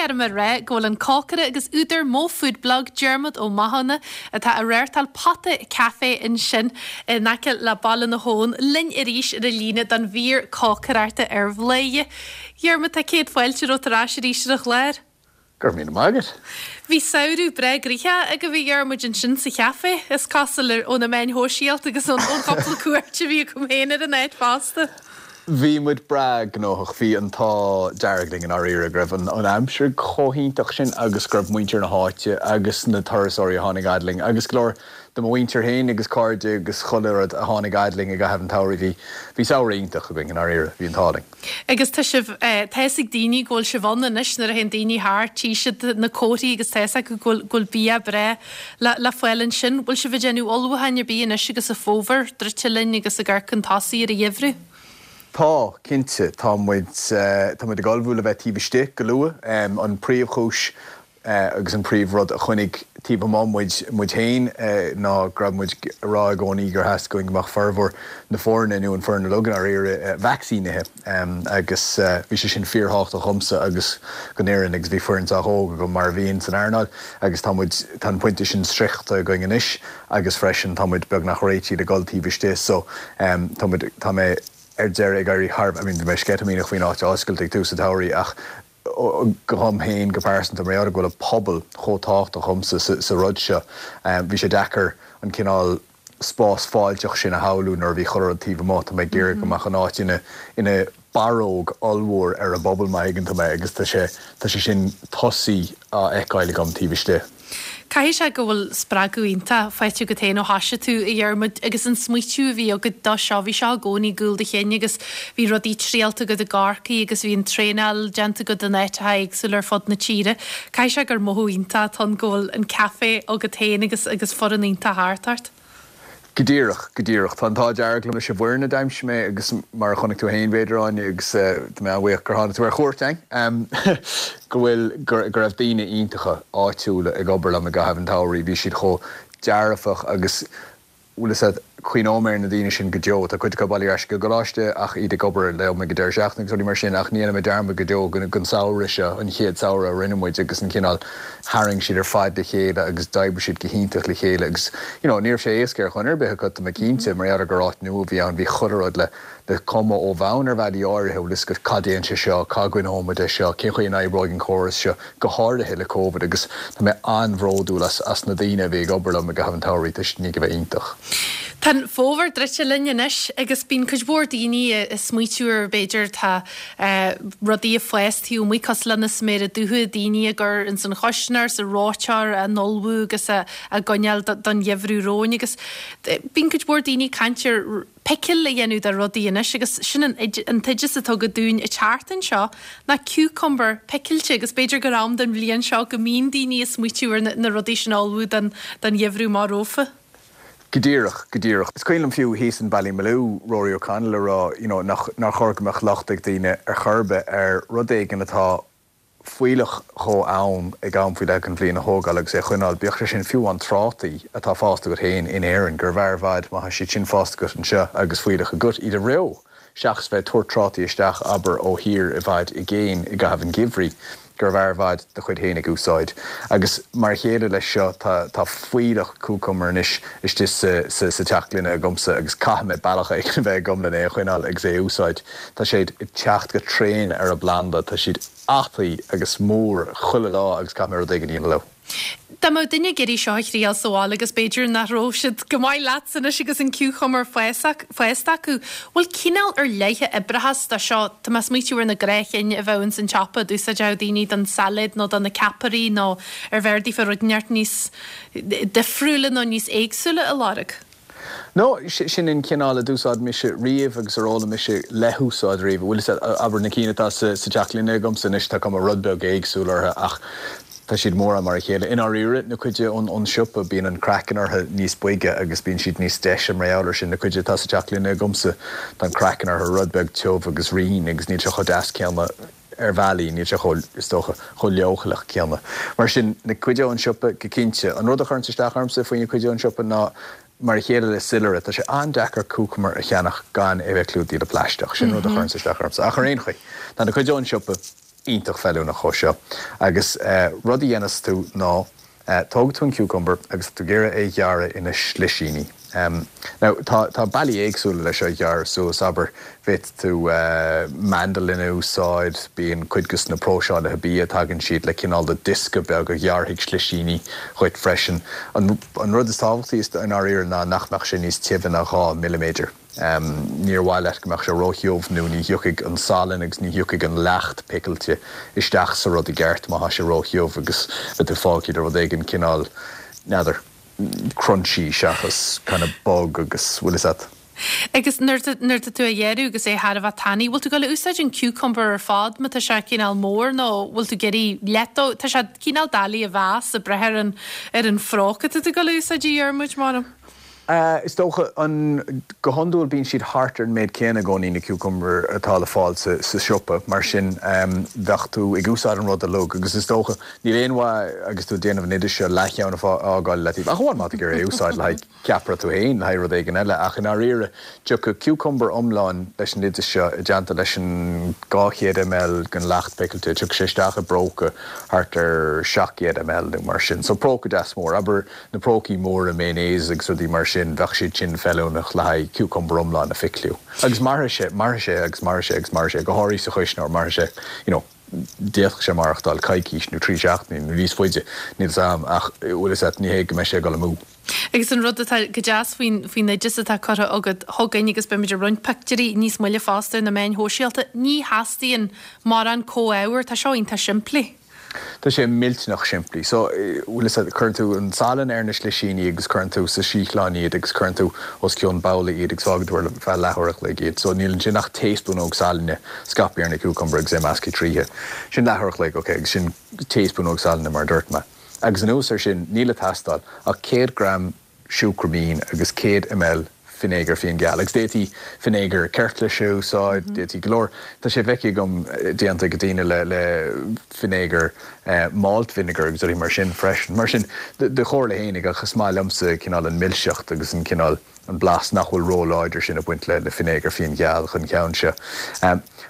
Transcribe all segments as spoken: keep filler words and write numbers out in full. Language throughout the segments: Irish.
lúcháir orm a rá go bhfuil an cócaire agus údar Mo Food Blog Diarmuid Ó Mathúna atá ag reáchtáil Pota Café ansin in aice le Baile na hAbhann linn arís ar an líne don mhír cócaireachta ar Bhladhaire. Diarmuid tá céad fáilte romhat ar ais arís ar an chlár. Gur mí mágad. Bhí samhradh breá gnoitheach agaibh a Dhiarmuid ansin sa chaifé is cosúil ó na meáin shóisialta agus ón chúpla cuairt a bhí agam féin ar an áit fosta. Bhí muid breá gnóthach bhí an t-ádh dearg linn i ndáiríre go raibh an an aimsir chomh hiontach sin agus go raibh muintir na háite agus na turasóirí a tháinig fhad linn agus go leor de mo mhuintir féin agus cairde agus chuile rud a tháinig fhad linn i gcaitheamh an tsamhraidh bhí bhí samhradh iontach againn i ndáiríre bhí an t-ádh linn. Agus tá sibh tá ag daoine go bhfuil sibh ann anois nuair a théann daoine thart tchí siad na comharthaí agus tá acu go bhfuil bia breá le le fáil ansin, bhfuil sibh ag déanamh ullmhúcháin ar bith anois agus an fómhar druidte linn agus ag amharc chun tosaigh ar an gheimhreadh. Tá cinnte tá muid tá muid ag ullmhú le bheith taobh istigh go luath an príomhchúis agus an príomhrud a choinnigh taobh amuigh muid muid féin ná go raibh muid ag rá i gcónaí gur theastaigh go mbeadh formhór na foirne nó an foireann uilig i ndáiríre vacsaínithe agus bhí sé sin fíorthábhachtach domsa agus don fhoireann agus bhí foireann sách óg agam mar a bhíonn san earnáil agus tá muid tá an pointe sin sroichte againn anois agus freisin tá muid beagnach réitithe le dul taobh istigh so tá muid tá mé ar deireadh ag éirí thar I mean bhí mé sceitimíneach faoin áit a oscailt ag tús an tsamhraidh ach dom féin go pearsanta mar go bhfuil an pobal chomh tábhachtach domsa sa rud seo. Bhí sé deacair an cineál spás fáilteach sin a shamhlú nuair a bhí chuile rud taobh amuigh tá mé ag iarraidh go mbeadh an áit ina ina barróg ollmhór ar an bpobal má thuigeann tú mé agus tá sé tá sé sin tosaithe á fheiceáil agam taobh istigh. Caithfidh sé go bhfuil spreagadh iontach faighte agat féin ó thoisigh tú a Dhiarmuid agus an smaoitiú a bhí agat dó seo bhí seo i gcónaí i gcúl do chinn agus bhí rudaí triailte agat i gCorcaigh agus bhí an traenáil déanta agat in áiteacha éagsúla ar fud na tíre. Caithfidh sé gur mothú iontach atá ann go bhfuil an café agat féin agus agus foireann iontach thart ort. Go díreach go díreach tá an t-ádh dearg liom leis an bhfoireann a d'aimsigh mé agus mar a chonaic tú féin b'fhéidir Áine agus tá mé an-bhuíoch gur tháinig tú ar chuairt ann go bhfuil go raibh daoine iontacha áitiúla ag obair liom i gcaitheamh an tsamhraidh bhí siad chomh dearfach agus bhfuil a cuimhneoidh mé ar na daoine sin go deo tá cuid acu bailithe ar ais go coláiste ach iad ag obair liom ag an deireadh seachtaine agus rudaí mar sin ach ní dhéanfaidh mé dearmad go deo den samhradh seo an chéad samhradh a rinne muid agus an cineál tharraing siad ar fad le chéile agus d'oibrigh siad go hiontach le chéile agus you know ní raibh sé éasca ar dhuine ar bith acu tá mé cinnte mar gheall gur áit nua a bhí ann bhí chuile rud le le cumadh ó bhonn ar bhealaí áirithe bhfuil a fhios agat cad déan sé seo cá gcoinneoidh muid é seo cén chaoi a n-oibreoidh an córas seo go háirithe le COVID agus tá mé an-bhródúil as as na daoine a bhí ag obair liom i gcaitheamh an tsamhraidh tá siad a bheith iontach. Tá an fómhar druidte linn anois agus bíonn cuid mhór daoine ag smaoitiú ar b'fhéidir tá rudaí ag fás taobh amuigh cosúil le na sméara dubha daoine ag cur ins an chuisneoir sa reoiteoir á n-ullmhú agus á gcoinneáil don gheimhreadh romhainn agus bíonn cuid mhór daoine ag caint ar picil a dhéanamh de rudaí anois agus sin an an t-oideas atá agat dúinn an tseachtain seo ná cucumber picilte agus b'fhéidir gur am den bhliain seo go mbíonn daoine ag smaoitiú ar na rudaí sin a ullmhú don don gheimhreadh mar rófa. Go díreach go díreach. Is cuimhin liom fiú thíos in Ballymaloe Rory O'Connell a rá you know, nach nár chóir go mbeadh locht ag daoine ar chor ar bith ar rud éigin atá fuílleach chomh ann ag am faoi leith den bhliain a thógáil agus é a choinneáil bíodh sé sin fiú an trátaí atá fásta agat féin in Éirinn gur bhfearr i bhfad má tá siad sin fásta agat anseo agus fuílleach agat iad a reo seachas bheith tabhairt trátaí isteach abair ó thír i bhfad i gcéin i gcaitheamh an gheimhridh gur bhfearr i bhfad do chuid féin ag úsáid. Agus mar a chéile leis seo tá tá fuílleach cucumber anois istigh sa sa sa teach gloine agamsa agus caithfidh mé bealach éigin a bheith agam lena é a choinneáil agus é a úsáid. Tá siad ag teacht go tréan ar an bplanda, tá siad fataí agus mór chuile lá agus caithfidh mé rud éigin a dhéanamh leo. Dá mbeadh duine ag iarraidh seo a thriail sa bhaile agus b'fhéidir nach raibh siad go maith leatsa anois agus an cucumber fásta acu, bhfuil cineál ar leith a oibreochas do seo Tá mé ag smaoitiú ar na gnáthchinn a bheadh ins an tsiopa d'úsáideodh daoine don sailéad nó do na ceapairí nó ar bhfearr daofa rud inteacht níos difriúla nó níos éagsúla a lorg. No sin an cineál a d'úsáid mise riamh agus ar fhoghlaim mise le húsáid riamh bhfuil abair na cinn atá sa sa teach gloine agamsa anois tá cuma rud beag éagsúil orthu ach tá siad mórán mar a chéile. I ndáiríre na cuid ón ón siopa bíonn an craiceann orthu níos boige agus bíonn siad níos deise mar gheall air sin na cuid atá sa teach gloine agamsa tá an craiceann orthu rud beag tiubh agus righin agus níl sé chomh deas céanna ar bhealaí níl sé chomh is dócha chomh leochaileach céanna. Mar sin na cuid ón siopa go cinnte an rud a chuireann isteach ormsa faoi na cuid ón siopa ná mar a chéile le soilire tá sé an-deacair cucumber a cheannach gan é bheith clúdaithe le plaisteach sin rud a chuireann isteach ormsa ach ar aon chaoi tá na cuid ón siopa iontach feiliúnach dó seo. Agus rud a dhéanas tú ná tóg tú an cucumber agus tú ag iarraidh é a ghearradh ina slisíní. Now tá tá bealaí éagsúla leis seo a ghearradh suas, abair féadfaidh tú mandolin a úsáid, bíonn cuid de na próiseálaithe bia tagann siad le cineál de diosca beag a ghearrfaidh slisíní dhuit freisin. An an rud is tábhachtaí i ndáiríre ná nach mbeadh sé níos tibhe ná dhá milliméadar. Níor mhaith leat go mbeadh sé róthiubh nó ní thiocfaidh an salann agus ní thiocfaidh an leacht picilte isteach sa rud i gceart má tá sé róthiubh agus beidh tú fágtha le rud éigin cineál, n'fheadar, crunchy seachas kind of bog agus bhfuil fhios a't. Agus nuair nuair atá tú á ghearradh agus é thar a bheith tanaí, bhfuil tú ag dul a úsáid an cucumber ar fad má tá sé cineál mór nó bhfuil tú ag iarraidh leath dó, tá sé cineál doiligh a mheas ag brath ar an ar an phróca atá tú ag dul a úsáid a Dhiarmuid, m'anam. Is dócha, an, go hiondúil bíonn siad thart ar an méid céanna i gcónaí, na cucumber atá le fáil sa, sa siopa, mar sin bheadh tú ag úsáid an rud uilig agus is dócha, níl aon mhaith agus tú ag déanamh an oidis seo leathcheann a fhágáil le taobh, ach amháin má tá tú ag iarraidh é a úsáid le haghaidh ceapaire tú féin, le haghaidh rud éigin eile, ach i ndáiríre, tiocfaidh cucumber iomlán leis an oideas seo i dteannta leis an dhá chéad ml den leacht picilte, tiocfaidh sé isteach i bpróca thart ar seacht gcéad ml nó mar sin. So próca deas mór, abair na prócaí móra mayonnaise agus rudaí mar sin, bheadh siad sin feiliúnach le haghaidh cucumber iomlán a phicliú. Agus mairfidh sé, mairfidh sé agus mairfidh sé agus mairfidh sé, go háirithe sa chuisneoir, mairfidh sé, you know, d'fhéadfadh sé maireachtáil coicís nó trí seachtainí nó níos faide, níl 'fhios a'm, ach bhfuil 'fhios a't, ní hé go mbeidh sé ag dul amú. Agus an rud atá go deas faoin faoin oideas atá curtha agat chugainn, agus beimid ag roinnt pictiúirí níos moille fosta ar na meáin shóisialta, ní theastaíonn mórán comhábhar, tá seo iontach simplí. Tá sé millteanach simplí. So, bhfuil 'fhios a't, cuireann tú an salann ar na slisíní agus cuireann tú sa síothlán iad agus cuireann tú os cionn babhla iad agus fágann tú ar feadh leathuair a chloig iad. So, níl ansin ach taespúnóg salainne scaipthe ar na cucumber agus é measctha tríothu. Sin leathuair a chloig, ok, agus sin taespúnóg salainne mar a dúirt mé. Agus anuas air sin, níl ag teastáil ach céad gram siúcra mín agus céad ml finéagar fíonghal. Agus d'fhéadfaí finéagar ceirtlise a úsáid, d'fhéadfaí go leor, tá sé feicthe agam déanta ag daoine le le finéagar malt vinegar agus rudaí mar sin freisin. Mar sin, do chomhairle fhéinig, ach is maith liomsa cineál an milseacht agus an cineál, an blas nach bhfuil ró-láidir sin ag baint le le finéagar fíonghal don cheann seo.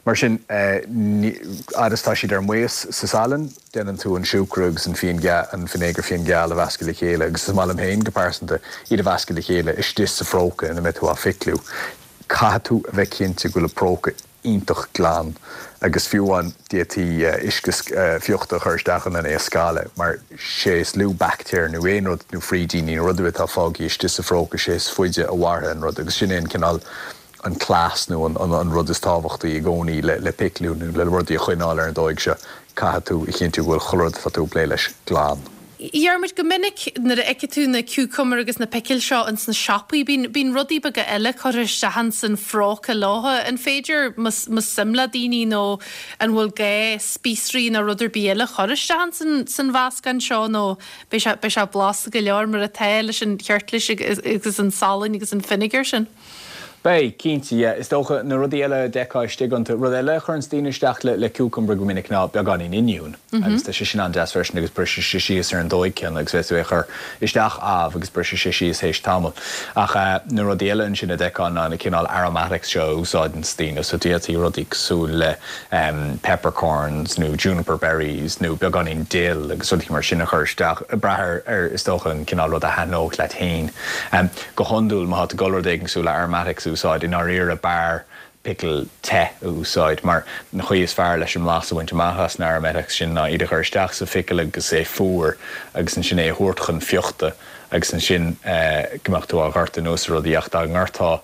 Mar sin, fhad is tá siad ar maos sa salann, déanann tú an siúcra agus an fíon, an finéagar fíonghal a mheascadh le chéile agus is maith liom féin go pearsanta iad a mheascadh le chéile istigh sa phróca ina mbeidh tú á phicliú. Caithfidh tú a bheith cinnte go bhfuil an próca iontach glan agus fiú amháin d'fhéadfaí uisce fiuchta a chur isteach ann lena é a scalladh mar sé is lú baictéir nó aon rud nó frídíní nó rud ar bith atá fágtha istigh sa phróca sé is faide a mhairfidh an rud agus sin é an cineál an cleas nó an rud is tábhachtaí i gcónaí le picliú nó le rudaí a choinneáil ar an dóigh seo, caithfidh tú a chinntiú go bhfuil chuile rud atá tú ag plé leis glan. Dhiarmuid, go minic nuair a fheiceann tú na cucumber agus na picil seo ins na siopaí, bíonn, bíonn rudaí beaga eile curtha isteach ins an phróca leo. An féidir, más, más suim le daoine nó an bhfuil gá spíosraí nó rud ar bith eile a chur isteach ins an, san mheascán seo nó beidh sé, beidh sé blasta go leor mar atá leis an cheirtlis agus, agus an salann agus an fínéagar sin? Beidh, cinnte, yeah. Is dócha, na rudaí eile a d'fheicfeá istigh iontu, rud eile a chuireanns daoine isteach le cucumber go minic ná beagáinín oinniún agus tá sé sin an-deas freisin agus briseann sé síos ar an dóigh céanna agus féadfaidh tú é a chur isteach ámh agus brisfidh sé síos théis tamaill. Ach na rudaí eile ansin a d'fheicfeá ná na cineál aromatics seo a úsáideanns daoine, so d'fhéadfaí rudaí cosúil le peppercorns nó juniper berries nó beagáinín dill agus rudaí mar sin a chur isteach, ag brath ar, ar is dócha an cineál rud a thaitneodh leat féin. Go hiondúil má tá tú ag dul rud éigin cosúil le aromatics a úsáid, i ndáiríre b'fhearr pickle te a úsáid mar an chaoi is fearr leis an mblas a bhaint amach as na aromatics sin ná iad a chur isteach sa phicil agus é fuar agus ansin é a thabhairt chun fiuchta agus ansin go mbeadh tú á dhoirteadh anuas ar rudaí ach dá ndoirteá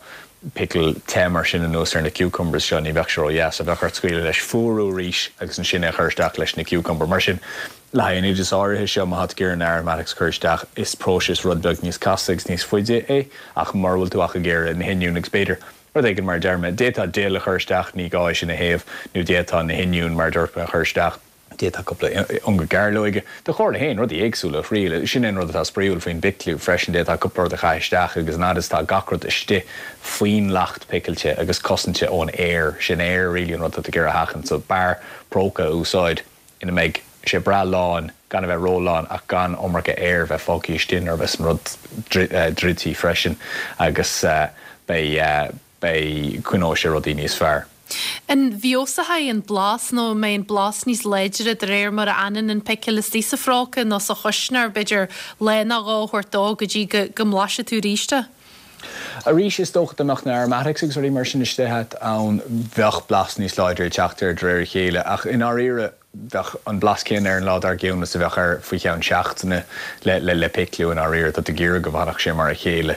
pickle te mar sin anuas ar na cucumbers seo ní bheadh sé ró-dheas, so bheadh ort scaoileadh leis fuarú arís agus ansin é a chur isteach leis na cucumber. Mar sin le haghaidh an oideas áirithe seo má tá tú ag iarraidh na aromatics a chur isteach is próiseas rud beag níos casta agus níos faide é ach mura bhfuil tú ach ag iarraidh na hoinniúin agus b'fhéidir rud éigin mar a deir mé, d'fhéadfá dill a chur isteach, ní gá é sin a théamh, nó d'fhéadfá na hoinniúin mar a dúirt mé a chur isteach, d'fhéadfá cúpla ionga gairleoige, do chomhairle féin, rudaí éagsúla a thriail, sin é an rud atá spraíúil faoin bpicliú freisin, d'fhéadfá cúpla rud a chaitheamh isteach agus an fhad is atá gach rud istigh faoin leacht picilte agus cosanta ón aer, sin aer really an rud atá tú ag iarraidh a sheachaint so b'fhearr próca a úsáid ina mbeidh sé breá lán, gan a bheith ró-lán ach gan iomarca aeir bheith fágtha istigh nuair a bheas an rud druidte freisin agus beidh, beidh, coinneoidh sé rudaí níos fearr. An bhfeabhsóidh an blas nó an mbeidh an blas níos láidre de réir mar a fhanann an picil istigh sa phróca nó sa chuisneoir, b'fhéidir lá nó dhó a thabhairt dó go dtí go go mblaisfidh tú arís é? Arís, is dócha dá mbeadh na aromatics agus rudaí mar sin istigh ann, bheadh blas níos láidre ag teacht air de réir a chéile, ach i ndáiríre, bheadh an blas céanna air an lá dár gcionn is a bheadh air faoi cheann seachtaine le le picliú i ndáiríre. Tá tú ag iarraidh go bhfanfadh sé mar a chéile.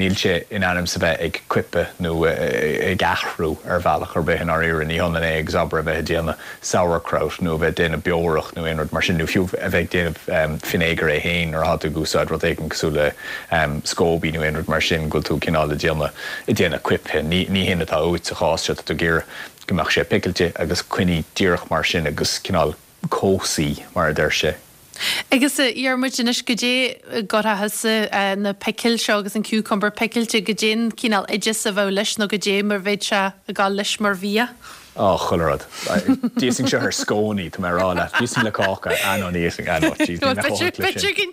Níl sé in ainm is a bheith ag coipeadh nó ag athrú ar bhealach ar bith i ndáiríre. Ní hionann é agus abair a bheith ag déanamh sauerkraut nó a bheith ag déanamh beorach nó aon rud mar sin nó fiú a bheith ag déanamh fínéagar é féin nuair atá tú ag úsáid rud éigin cosúil le scoby nó aon rud mar sin go bhfuil tú cineál ag déanamh ag déanamh coipthe. Ní ní hin atá uait sa chás seo, tá tú ag iarraidh go mbeadh sé picilte agus coinnithe díreach mar sin agus cineál cobhsaí, mar a deir sé. Agus a Dhiarmuid, anois goidé a gcuirfeá thusa na picil seo agus an cucumber picilte, goidé an cineál oideas a bheadh leis nó goidé mar bheadh sé ag dul leis mar bhia? Á, chuile rud. D'íosfainn seo ar scónaí, tá mé ag rá leat. D'íosfainn le cáca. Ah no, ní íosfainn. Ah no, jeez, ní bheadh chomh holc leis sin.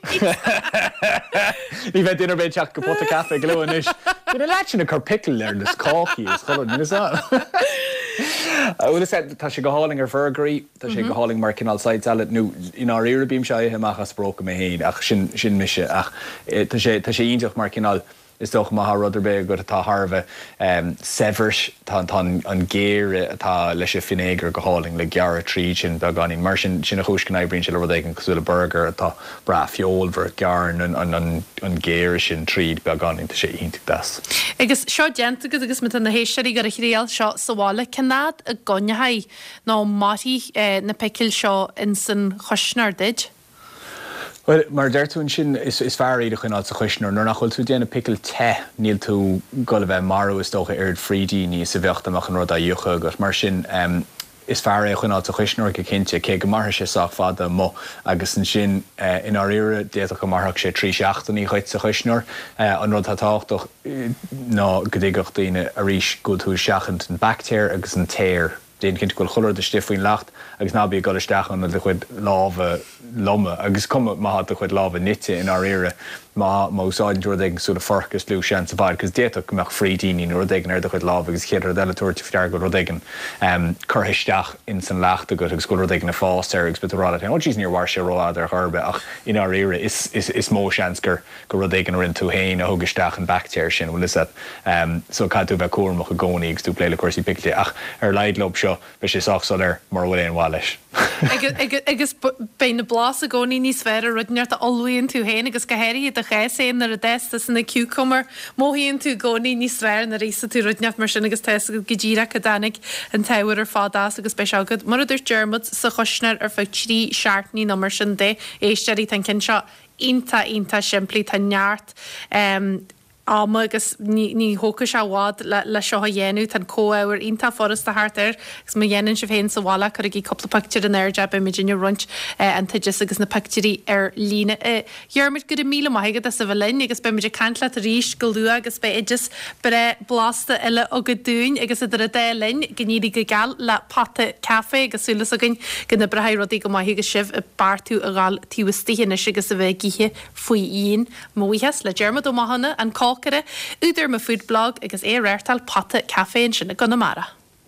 Ní bheidh duine ar bith ag teacht go Pota Caife go luath anois. Bhí na leaids sin ag cur pickle ar na cácaí is chuile rud, níl fhios a'm. Bhuel, is ea, tá sé go hálainn ar bhurgairí, tá sé go hálainn mar cineál side salad nó i ndáiríre bímse á ithe amach as bpróca mé féin ach sin, sin mise ach tá sé, tá sé iontach mar cineál Is dócha má tá rud ar bith agat atá thar a bheith saibhir, tá an géire atá leis an fínéagar go hálainn le gearradh tríd sin beagáinín. Mar sin, sin an chúis go n-oibríonn sé le rud éigin cosúil le burgar atá breá feolmhar, gearrann an géire sin tríd beagáinín, tá sé iontach deas. Agus seo déanta agat agus má tá na héisteoirí ag gabháil a thriail seo sa bhaile, cén fhad a gcoinneoidh nó mairfidh na picil seo ins an chuisneoir duid? Bhuel, mar a deir tú ansin, is fearr iad a choinneáil sa chuisneoir. Nuair nach bhfuil tú ag déanamh picil te, níl tú ag dul a bheith ag marú, is dócha, oiread frídíní is a bheadh dá mbeadh an rud á fhiuchadh agat. Mar sin, is fearr é a choinneáil sa chuisneoir go cinnte, cé go mairfidh sé sách fada amuigh. Agus ansin, i ndáiríre, d'fhéadfadh go mairfeadh sé trí seachtainí dhuit sa chuisneoir. An rud atá tábhachtach ná go dtuigfeadh daoine, arís, go bhfuil tú ag seachaint an baictéar agus an t-aer. Déan cinnte go bhfuil chuile rud istigh faoin leacht agus ná bí ag dul isteach ann le do chuid lámha loma. Agus cuma má tá do chuid lámha nite i ndáiríre, má má úsáideann tú rud éigin cosúil le forc is lú seans i bhfad, cos d'fhéadfadh go mbeadh frídíní nó rud éigin ar do chuid lámha agus an chéad rud eile tabhairt faoi deara go bhfuil rud éigin curtha isteach ins an leacht agat agus go bhfuil rud éigin ag fás air agus beidh tú ag rá leat féin, oh jeez níor mhair sé rófhada ar chor ar bith ach i ndáiríre is is is mó seans gur gur rud éigin a rinne tú féin a thug isteach an baictéar sin, bhfuil 'fhios a'd. So caithfidh tú a bheith cúramach i gcónaí agus tú ag plé le cúrsaí piciltí. Ach ar a laghad leob seo, beidh sé sách soiléir mura bhfuil aon mhaith leis. Agus beidh na blas i gcónaí níos fearr ar rud inteacht a ullmhaíonn tú féin agus go háirithe i do chás féin nuair a d'fhás tusa na cucumber, mothaíonn tú i gcónaí níos fearr nuair a íosann tú rud inteacht mar sin agus tá 'fhios agat go díreach cá dtáinig an t-ábhar ar fad as agus beidh sé agat, mar a dúirt Diarmuid, sa chuisneoir ar feadh trí seachtainí nó mar sin de. Éisteoirí, tá an ceann seo iontach, iontach simplí. Tá neart ama agus ní, ní thógfaidh sé i bhfad le, le seo a dhéanamh. Tá an comhábhar iontach furasta thart air agus má dhéanann sibh féin sa bhaile, cuirigí cúpla pictiúr in airde, beidh muidinne ag roinnt an t-oideas agus na pictiúirí ar líne. A Dhiarmuid, go raibh míle maith agat as a bheith linn agus beidh muid ag caint leat arís go luath agus beidh oideas breá blasta eile agat dúinn agus idir an dá linn, go n-éirí go geal le Pota Caife agus súil againn go n-oibreoidh rudaí go maith agus sibh ag beartú a ghabháil taobh istigh anois agus a bheith ag ithe faoi dhíon. Mo bhuíochas le Diarmuid Ó Mathúna, an cócaire, údar Mo Food Blog agus é ag reáchtáil Pota Caife ansin i gConamara.